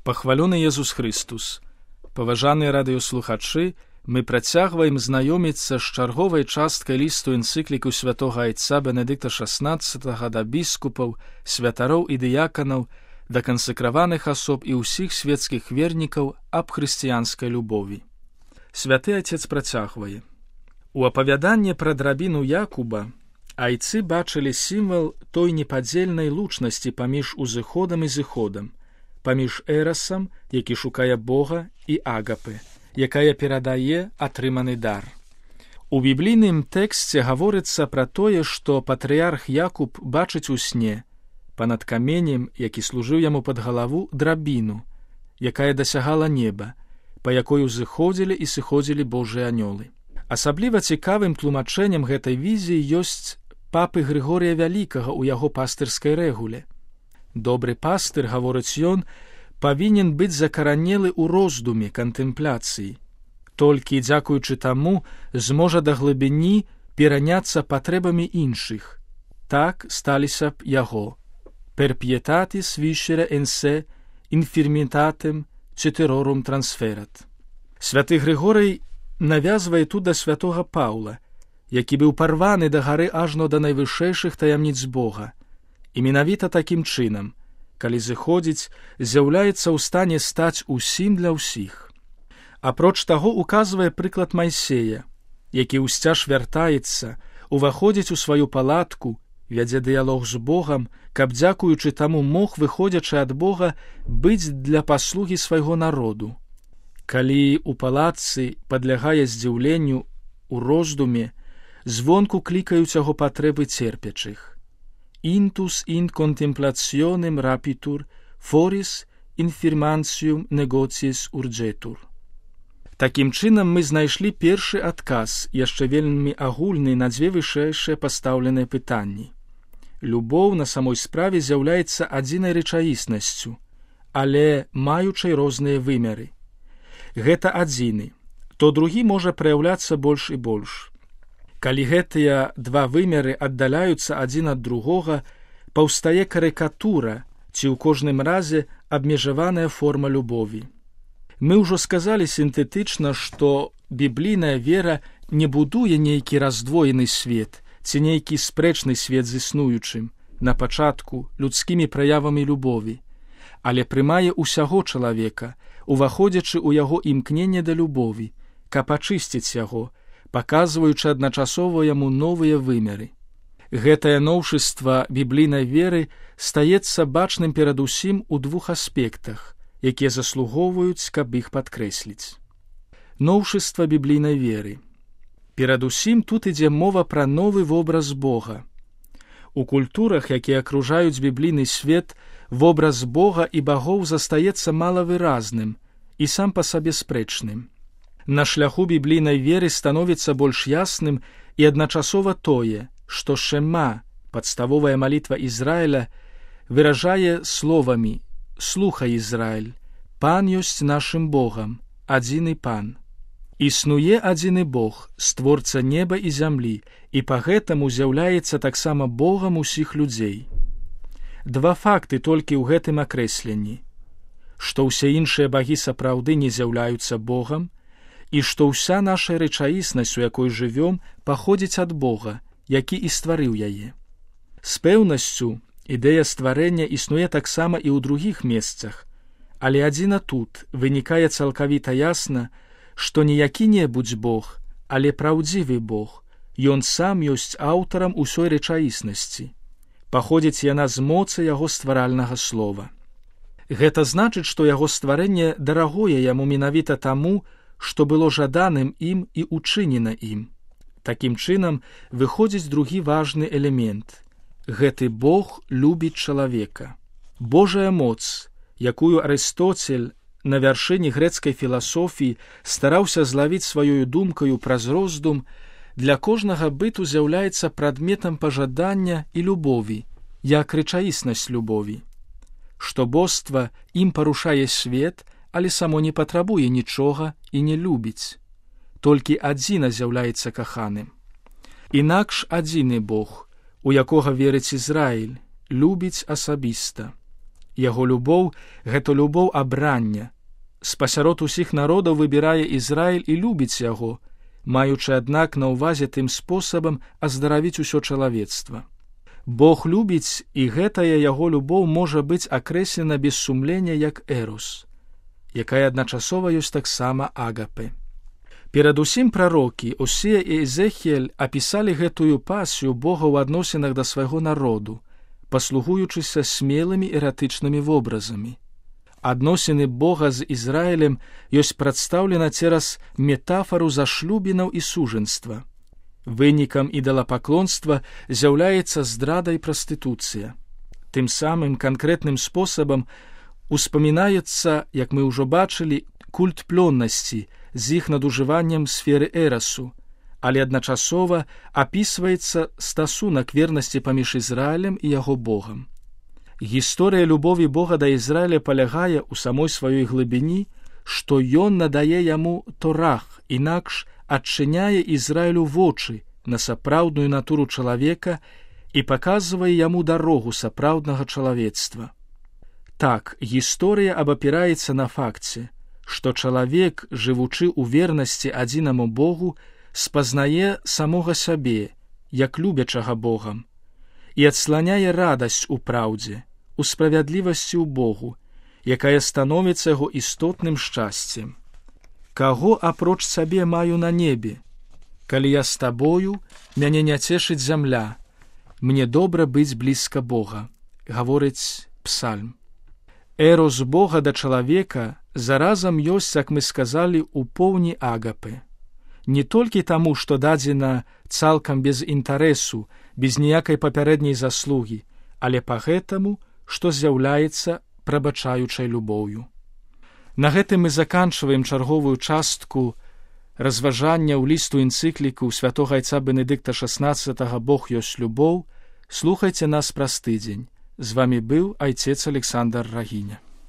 Пахвалёны Езус Христус! Паважаныя радыёслухачы, мы працягваем знаёміцца з чарговай часткай лісту энцыкліку святога айца Бенедыкта XVI да біскупаў, святароў і дыяканаў, да кансакраваных асоб і ўсіх светскіх вернікаў аб хрысціянскай любові. Святы Айцец працягвае. У апавяданні пра драбіну Якуба айцы бачылі сімвал той непадзельнай лучнасці паміж узыходам і зыходам, паміж эрасам, які шукае Бога, і агапы, якая перадае атрыманы дар. У біблійным тэксце гаворыцца пра тое, што патрыярх Якуб бачыць у сне панад каменем, які служыў яму пад галаву, драбіну, якая дасягала неба, па якой узыходзілі і сыходзілі Божыя анёлы. Асабліва цікавым тлумачэннем гэтай візіі ёсць папы Грыгорія Вялікага ў яго пастырскай рэгуле. Добры пастыр, гаворыць ён, павінен быць закаранелы ў роздуме, кантэмпляцыі. Толькі, дзякуючы таму, зможа да глыбіні пераняцца патрэбамі іншых. Так сталіся б яго. Per pietatis viscere en se infirmitatem ceterorum transferat. Святы Грыгорый навязвае тут да святога Паўла, які быў парваны да гары ажно да найвышэйшых таямніц Бога. І менавіта такім чынам, калі зыходзіць, з'яўляецца ў стане стаць усім для ўсіх. Апроч таго указвае прыклад Майсея, які ўсцяж вяртаецца, уваходзіць у сваю палатку, вядзе дыялог з Богам, каб, дзякуючы таму, мог, выходзячы ад Бога, быць для паслугі свайго народу. Калі ў палатцы падлягае здзіўленню, у роздуме, звонку клікаюць яго патрэбы церпячых. Intus in contemplationem rapitur, foris infirmantium negotiis urgetur. Такім чынам мы знайшлі першы адказ, яшчэ вельмі агульны на дзве вышэйшыя пастаўленыя пытанні. Любоў на самой справе з'яўляецца адзінай рэчаіснасцю, але маючай розныя вымеры. Гэта адзіны, то другі можа праяўляцца больш і больш. Калі гэтыя два вымеры аддаляюцца адзін ад другога, паўстае карыкатура ці ў кожным разе абмежаваная форма любові. Мы ўжо сказалі сінтэтычна, што біблійная вера не будуе нейкі раздвоены свет ці нейкі спрэчны свет з існуючым, на пачатку людскімі праявамі любові, але прымае ўсяго чалавека, уваходзячы ў яго імкненне да любові, каб ачысціць яго, паказваючы адначасова яму новыя вымеры. Гэтае новшыства біблійнай веры стаецца бачным перадусім у двух аспектах, якія заслугоўваюць, каб іх падкрэсліць. Новшыства біблійнай веры. Перадусім тут ідзе мова пра новы вобраз Бога. У культурах, якія акружаюць біблійны свет, вобраз Бога і багоў застаецца малавыразным і сам па сабе спрэчным. На шляху біблійнай веры становіцца больш ясным і адначасова тое, што Шема, падставовая малітва Ізраіля, выражае словамі: «Слухай, Ізраіль, Пан ёсць нашым Богам, адзіны Пан. Існуе адзіны Бог, створца неба і зямлі, і па гэтаму з'яўляецца таксама Богам усіх людзей». Два факты толькі ў гэтым акрэсленні: што ўсе іншыя багі сапраўды не з'яўляюцца Богам, і што ўся наша рэчаіснасць, у якой жывём, паходзіць ад Бога, які і стварыў яе. З пэўнасцю, ідэя стварэння існуе таксама і ў другіх месцах, але адзіна тут вынікае цалкавіта ясна, што не які-небудзь Бог, але праўдзівы Бог, ён сам ёсць аўтарам усёй рэчаіснасці. Паходзіць яна з моцы яго стваральнага слова. Гэта значыць, што яго стварэнне дарагое яму менавіта таму, што было жаданым ім і учынена ім. Такім чынам, выходзіць другі важны элемент. Гэты Бог любіць чалавека. Божая моц, якую Арыстоцель на вяршыні грэцкай філасофіі стараўся злавіць сваёю думкаю праз роздум, для кожнага быту з'яўляецца прадметам пажадання і любові, як рэчаіснасць любові. Што боства ім парушае свет, але само не патрабуе нічога і не любіць. Толькі адзіна з'яўляецца каханым. Інакш адзіны Бог, у якога верыць Ізраіль, любіць асабіста. Яго любоў – гэта любоў абрання. Спасярод усіх народаў выбірае Ізраіль і любіць яго, маючы, аднак, на ўвазе тым спосабам аздаравіць усё чалавецтва. Бог любіць, і гэтая яго любоў можа быць акрэслена без сумлення як эрос, якая адначасова ёсць таксама агапе. Перадусім прарокі Осія і Эзехіэль апісалі гэтую пасію Бога ў адносінах да свайго народу, паслугуючыся смелымі эратычнымі вобразамі. Адносіны Бога з Ізраілем ёсць прадстаўлена цераз метафару зашлюбінаў і сужэнства. Вынікам ідалапаклонства з'яўляецца здрада і прастытуцыя. Тым самым канкрэтным спосабам успамінаецца, як мы ўжо бачылі, культ плённасці з іх надужываннем сферы эрасу, але адначасова апісваецца стасунак вернасці паміж Ізраілем і яго Богам. Гісторыя любові Бога да Ізраіля палягае ў самой сваёй глыбіні, што ён надае яму торах, інакш адчыняе Ізраілю вочы на сапраўдную натуру чалавека і паказвае яму дарогу сапраўднага чалавецтва. Так, гісторыя абапіраецца на факце, што чалавек, жывучы ў вернасці адзінаму Богу, спазнае самога сябе, як любячага Богам, і адсланяе радасць у праўдзе, у справядлівасці ў Богу, якая становіцца яго істотным шчасцем. Каго апроч сабе маю на небе? Калі я з табою, мяне не цешыць зямля, мне добра быць блізка Бога, гаворыць псальм. Эрос Бога да чалавека заразам ёсць, як мы сказалі, у поўні агапе. Не толькі таму, што дадзена цалкам без інтарэсу, без ніякай папярэдняй заслугі, але па гэтаму, што з'яўляецца прабачаючай любоўю. На гэтым мы заканчваем чарговую частку разважання ў лісту энцыкліку святога айца Бенедыкта XVI «Бог ёсць любоў». Слухайце нас праз тыдзень. З вамі быў айцец Александр Рагіня.